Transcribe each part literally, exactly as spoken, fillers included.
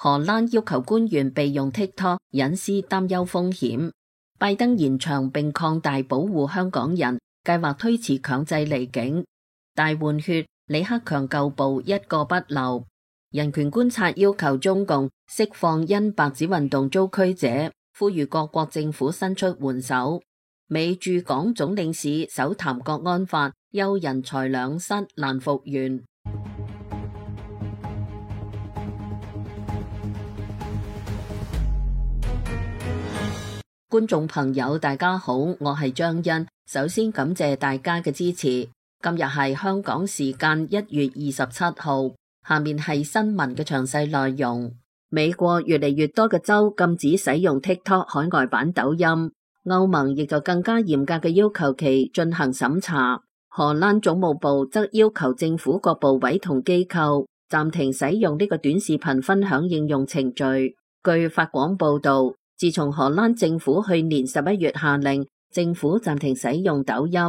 荷蘭要求官員備用 TikTok 隱私擔憂風險。拜登延長並擴大保護香港人，計劃推遲強制離境。大換血，李克強舊部一個不留。人權觀察要求中共釋放因白紙運動遭拘者，呼籲各國政府伸出援手。美駐港總領事首談國安法，憂人財兩失，難復原。觀眾朋友大家好，我係張欣，首先感謝大家嘅支持。今日係香港時間一月二十七號。下面係新聞嘅詳細內容。美國越嚟越多嘅州禁止使用 TikTok 海外版抖音，歐盟亦就更加嚴格嘅要求其進行審查。荷蘭總務部則要求政府各部委同機構暫停使用呢個短視頻分享應用程序。據法廣報導，自從荷蘭政府去年十一月下令政府暫停使用抖音，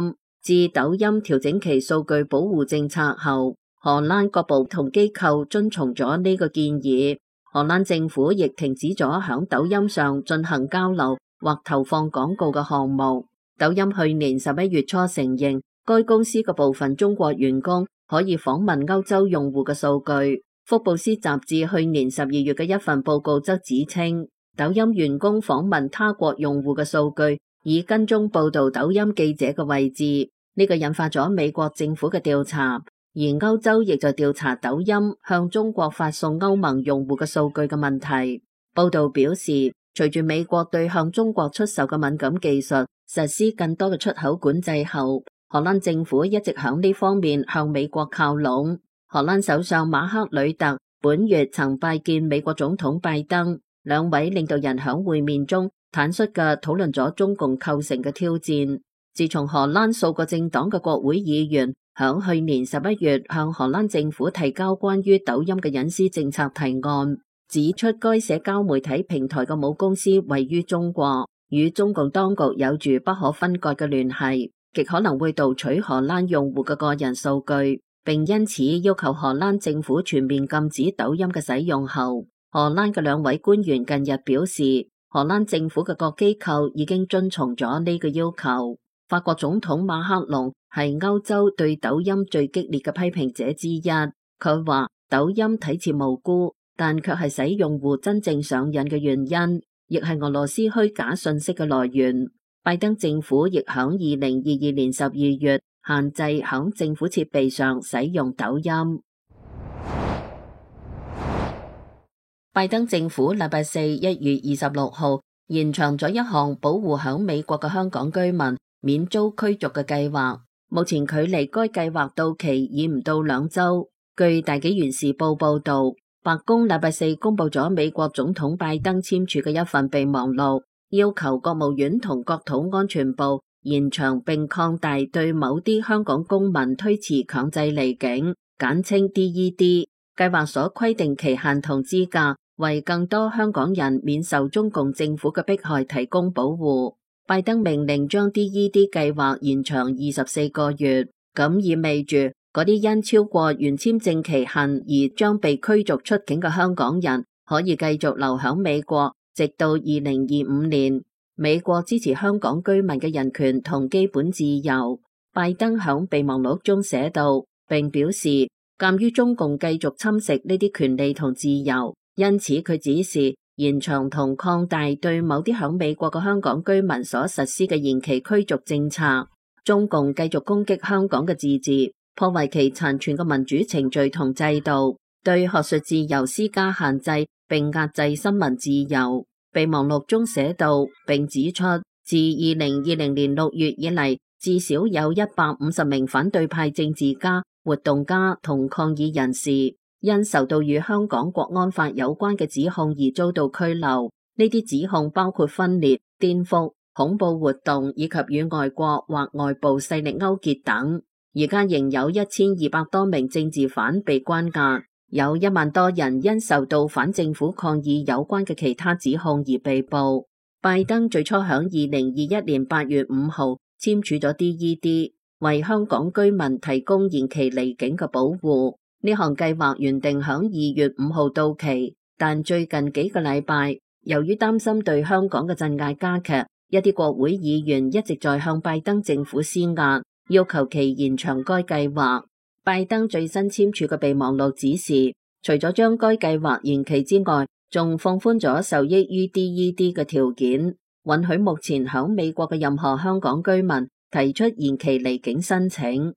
至抖音調整其數據保護政策後，荷蘭各部同機構遵從咗呢個建議，荷蘭政府亦停止咗響抖音上進行交流或投放廣告嘅項目。抖音去年十一月初承認，該公司嘅部分中國員工可以訪問歐洲用戶嘅數據。福布斯雜誌去年十二月嘅一份報告則指稱，抖音員工訪問他國用戶嘅數據以跟蹤報道抖音記者嘅位置，呢個引發咗美國政府嘅調查。而歐洲亦就調查抖音向中國發送歐盟用戶嘅數據嘅問題。報道表示，隨住美國對向中國出售嘅敏感技術實施更多嘅出口管制後，荷蘭政府一直響呢方面向美國靠攏。荷蘭首相馬克呂特本月曾拜見美國總統拜登，兩位領導人響會面中坦率嘅討論咗中共構成嘅挑戰。自從荷蘭數個政黨嘅國會議員響去年十一月向荷蘭政府提交關於抖音嘅隱私政策提案，指出該社交媒體平台嘅母公司位於中國，與中共當局有住不可分割嘅聯繫，極可能會盜取荷蘭用戶嘅個人數據，並因此要求荷蘭政府全面禁止抖音嘅使用後，荷蘭嘅兩位官員近日表示，荷蘭政府嘅各機構已經遵從咗呢個要求。法國總統馬克龍係歐洲對抖音最激烈嘅批評者之一。佢話抖音睇似無辜，但卻係使用戶真正上癮嘅原因，亦係俄羅斯虛假信息嘅來源。拜登政府亦響二零二二年十二月限制響政府設備上使用抖音。拜登政府禮拜四一月二十六號延長咗一項保護響美國嘅香港居民免遭驅逐嘅計劃，目前距離該計劃到期已唔到兩周。據大紀元時報報道，白宮禮拜四公布咗美國總統拜登簽署嘅一份備忘錄，要求國務院同國土安全部延長並擴大對某啲香港公民推遲強制離境，簡稱 D E D 計劃所規定期限同資格，為更多香港人免受中共政府嘅迫害提供保護。拜登命令將 D E D 計劃延長二十四個月，咁意味住嗰啲因超過原簽證期限而將被驅逐出境嘅香港人可以繼續留響美國，直到二零二五年。美國支持香港居民嘅人權同基本自由。拜登響備忘錄中寫道，並表示，鑒於中共繼續侵蝕呢啲權利同自由，因此佢指示延長同擴大對某啲響美國嘅香港居民所實施嘅延期驅逐政策。中共繼續攻擊香港嘅自治，破壞其殘存嘅民主程序同制度，對學術自由施加限制，並壓制新聞自由。備忘錄中寫道，並指出，自二零二零年六月以嚟，至少有一百五十名反對派政治家、活動家同抗議人士因受到與香港國安法有關嘅指控而遭到拘留。呢啲指控包括分裂、顛覆、恐怖活動以及與外國或外部勢力勾結等。而家仍有一千二百多名政治犯被關押，有一萬多人因受到反政府抗議有關嘅其他指控而被捕。拜登最初響二零二一年八月五號簽署咗 D E D， 為香港居民提供延期離境嘅保護。呢項計劃原定響二月五號到期，但最近幾個禮拜，由於擔心對香港嘅鎮壓加劇，一啲國會議員一直在向拜登政府施壓，要求其延長該計劃。拜登最新簽署嘅備忘錄指示，除咗將該計劃延期之外，仲放寬咗受益於 D E D 嘅條件，允許目前響美國嘅任何香港居民提出延期離境申請。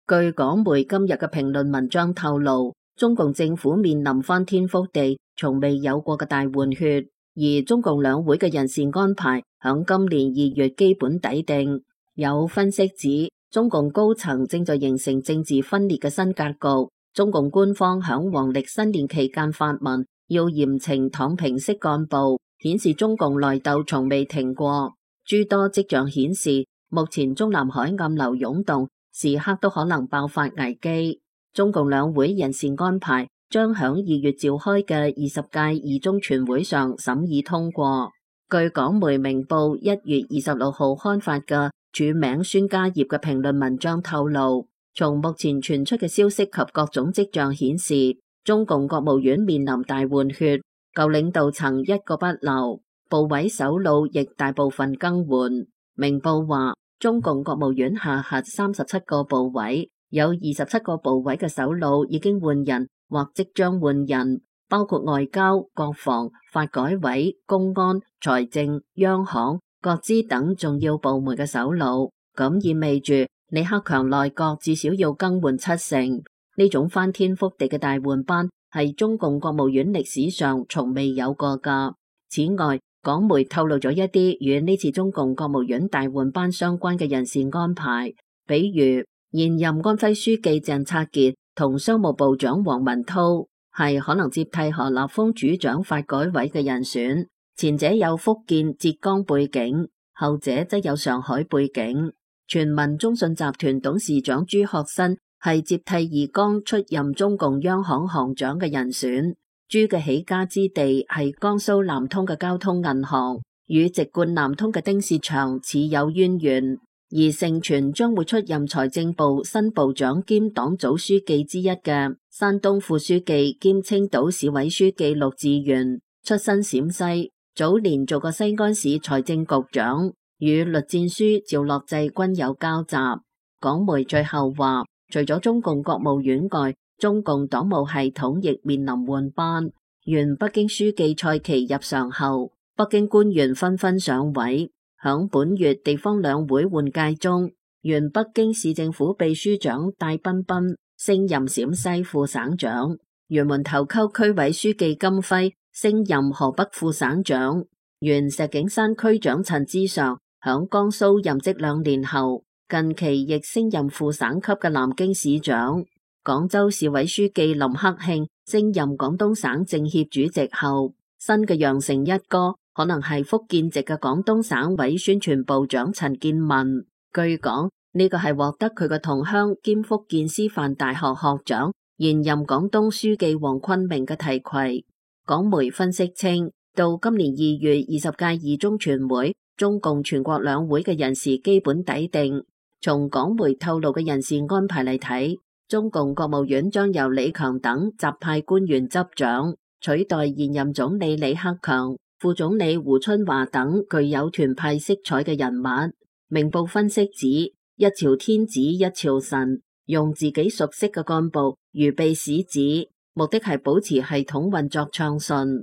據港媒今日嘅評論文章透露，中共政府面臨翻天覆地、從未有過嘅大換血，而中共兩會嘅人事安排響今年二月基本底定。有分析指，中共高層正在形成政治分裂嘅新格局。中共官方響黃曆新年期間發文，要嚴懲躺平式幹部，顯示中共內鬥從未停過。諸多跡象顯示，目前中南海暗流湧動，時刻都可能爆發危機。中共兩會人事安排將響二月召開嘅二十屆二中全會上審議通過。據港媒明報一月二十六號刊發嘅署名孫家業嘅評論文章透露，從目前傳出嘅消息及各種跡象顯示，中共國務院面臨大換血，舊領導層一個不留，部委首腦亦大部分更換。明報話，中共國務院下轄三十七個部委，有二十七個部委嘅首腦已經換人或即將換人，包括外交、國防、發改委、公安、財政、央行、各資等重要部門嘅首腦。咁意味住李克強內閣至少要更換七成。呢種翻天覆地嘅大換班係中共國務院歷史上從未有過噶。此外，港媒透露咗一啲與呢次中共國務院大換班相關嘅人事安排，比如現任安徽書記鄭策傑同商務部長王文濤係可能接替何立峰主掌發改委嘅人選，前者有福建、浙江背景，後者則有上海背景。全民中信集團董事長朱學新係接替易綱出任中共央行行長嘅人選。朱嘅起家之地係江蘇南通嘅交通銀行，與籍貫南通嘅丁薛祥似有淵源。而盛傳將會出任財政部新部長兼黨組書記之一嘅山東副書記兼青島市委書記陸志源，出身陝西，早年做過西安市財政局長，與栗戰書、趙樂際均有交集。港媒最後話，除咗中共國務院外，中共黨務系統亦面臨換班。原北京書記蔡奇入常後，北京官員紛紛上位。響本月地方兩會換屆中，原北京市政府秘書長戴彬彬升任陝西副省長，原門頭溝區委書記金輝升任河北副省長，原石景山區長陳之常響江蘇任職兩年後，近期亦升任副省級嘅南京市長。廣州市委書記林克慶升任廣東省政協主席後，新嘅羊城一哥可能係福建籍嘅廣東省委宣傳部長陳建文。據講，呢個係獲得佢嘅同鄉兼福建師範大學學長、現任廣東書記黃坤明嘅提攜。港媒分析稱，到今年二月二十屆二中全會，中共全國兩會嘅人事基本底定。從港媒透露嘅人事安排嚟睇，中共國務院將由李強等習派官員執掌，取代現任總理李克強、副總理胡春華等具有團派色彩嘅人物。明報分析指，一朝天子一朝臣，用自己熟悉嘅幹部預備使子，目的係保持系統運作暢順。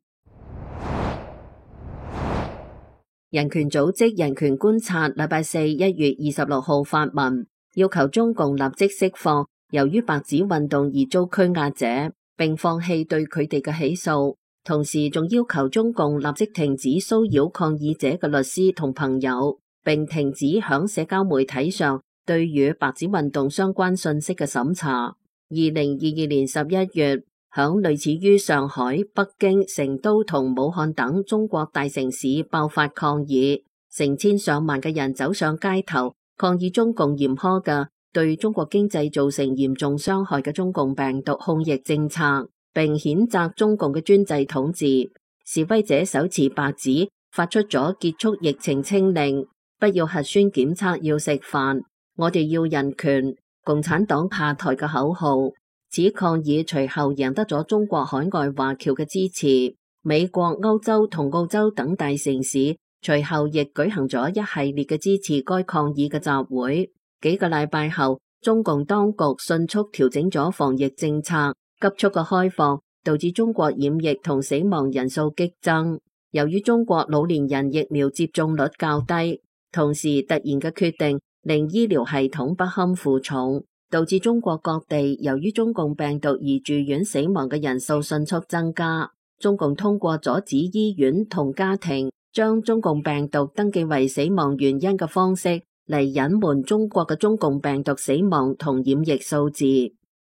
人權組織人權觀察禮拜四一月二十六號發文，要求中共立即釋放由於白紙運動而遭拘押者，並放棄對佢哋嘅起訴，同時仲要求中共立即停止騷擾抗議者嘅律師同朋友，並停止響社交媒體上對與白紙運動相關信息嘅審查。二零二二年十一月，響類似於上海、北京、成都同武漢等中國大城市爆發抗議，成千上萬嘅人走上街頭抗議中共嚴苛嘅對中國經濟造成嚴重傷害嘅中共病毒控疫政策，並譴責中共嘅專制統治。示威者手持白紙發出咗結束疫情清零、不要核酸檢測要食飯、我哋要人權、共產黨下台嘅口號。此抗議隨後贏得咗中國海外華僑嘅支持，美國、歐洲同澳洲等大城市隨後亦舉行咗一系列嘅支持該抗議嘅集會。幾個禮拜後，中共當局迅速調整咗防疫政策，急速嘅開放導致中國染疫同死亡人數激增。由於中國老年人疫苗接種率較低，同時突然嘅決定令醫療系統不堪負重，導致中國各地由於中共病毒而住院死亡嘅人數迅速增加。中共通過阻止醫院同家庭將中共病毒登記為死亡原因嘅方式嚟隱瞞中國嘅中共病毒死亡同染疫數字。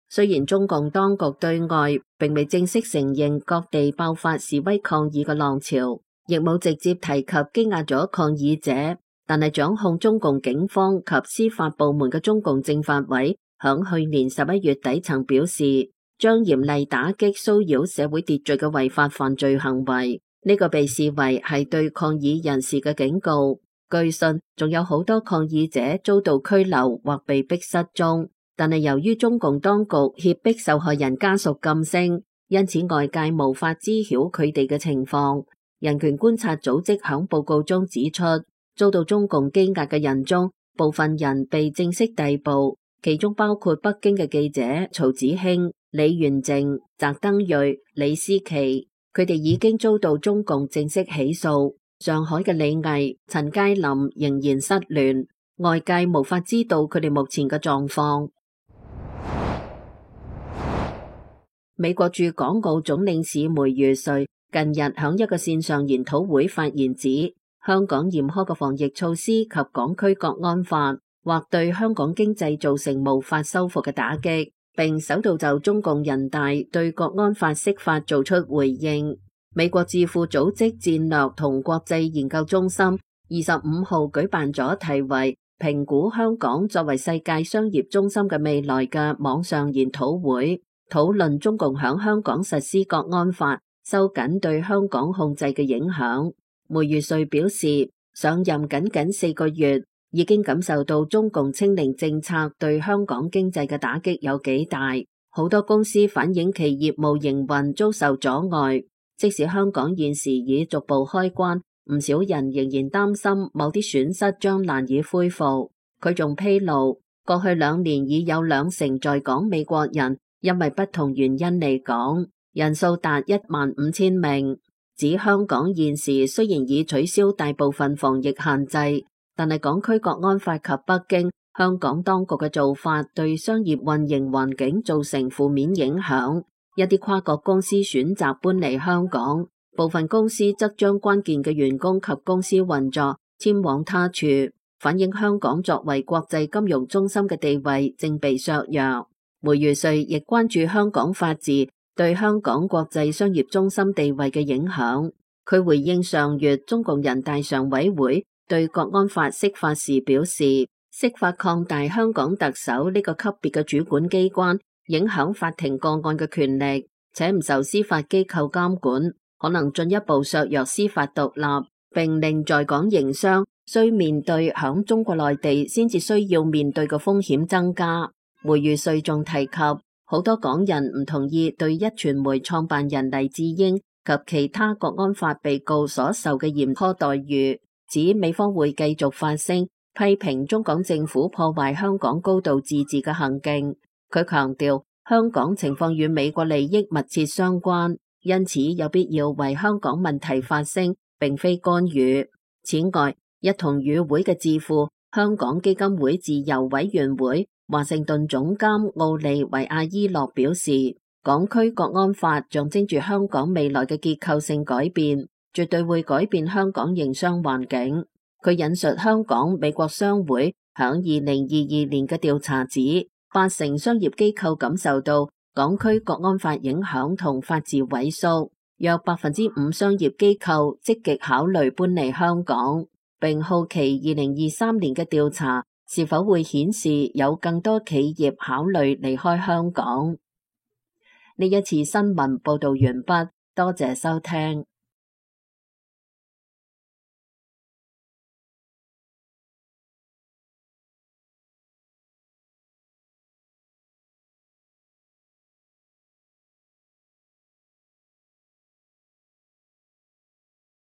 雖然中共當局對外並未正式承認各地爆發示威抗議嘅浪潮，亦冇直接提及羈押咗抗議者，但係掌控中共警方及司法部門嘅中共政法委響去年十一月底曾表示，將嚴厲打擊騷擾社會秩序嘅違法犯罪行為。呢個被視為係對抗議人士嘅警告。據信仲有好多抗議者遭到拘留或被逼失蹤，但係由於中共當局脅迫受害人家屬噤聲，因此外界無法知曉佢哋嘅情況。人權觀察組織響報告中指出，遭到中共羈押嘅人中，部分人被正式逮捕，其中包括北京嘅記者曹子興、李元靜、翟登瑞、李思琪，佢哋已經遭到中共正式起訴。上海嘅李毅、陳佳林仍然失聯，外界無法知道佢哋目前嘅狀況。美國駐港澳總領事梅如瑞近日響一個線上研討會發言指，香港嚴苛嘅防疫措施及港區國安法或對香港經濟造成無法修復嘅打擊，並首度就中共人大對國安法釋法做出回應。美國智庫組織戰略同國際研究中心二十五號舉辦咗題為評估香港作為世界商業中心嘅未來嘅網上研討會，討論中共響香港實施國安法收緊對香港控制嘅影響。梅如瑞表示，上任僅僅四個月，已經感受到中共清零政策對香港經濟嘅打擊有幾大，好多公司反映其業務營運遭受阻礙。即使香港現時已逐步開關，唔少人仍然擔心某啲損失將難以恢復。佢仲披露，過去兩年已有兩成在港美國人因為不同原因離港，人數達一萬五千名。指香港現時雖然已取消大部分防疫限制，但係港區國安法及北京、香港當局嘅做法對商業運營環境造成負面影響。一啲跨國公司選擇搬離香港，部分公司則將關鍵嘅員工及公司運作遷往他處，反映香港作為國際金融中心嘅地位正被削弱。梅如瑞亦關注香港法治對香港國際商業中心地位嘅影響。佢回應上月中共人大常委會對國安法釋法時表示，釋法擴大香港特首呢個級別嘅主管機關影響法庭個案嘅權力，且唔受司法機構監管，可能進一步削弱司法獨立，並令在港營商需面對響中國內地先至需要面對嘅風險增加。梅如瑞仲提及，好多港人唔同意對一傳媒創辦人黎智英及其他國安法被告所受嘅嚴苛待遇，指美方會繼續發聲批評中港政府破壞香港高度自治嘅行徑。佢強調，香港情況與美國利益密切相關，因此有必要為香港問題發聲，並非干預。此外，一同與會嘅智庫香港基金會自由委員會華盛頓總監奧利維亞伊洛表示，港區國安法象徵住香港未來嘅結構性改變，絕對會改變香港營商環境。佢引述香港美國商會響二零二二年嘅調查指，八成商業機構感受到港區國安法影響同法治萎縮，約百分之五商業機構積極考慮搬離香港，並好奇二零二三年嘅調查是否會顯示有更多企業考慮離開香港。呢一次新聞報道完畢，多謝收聽。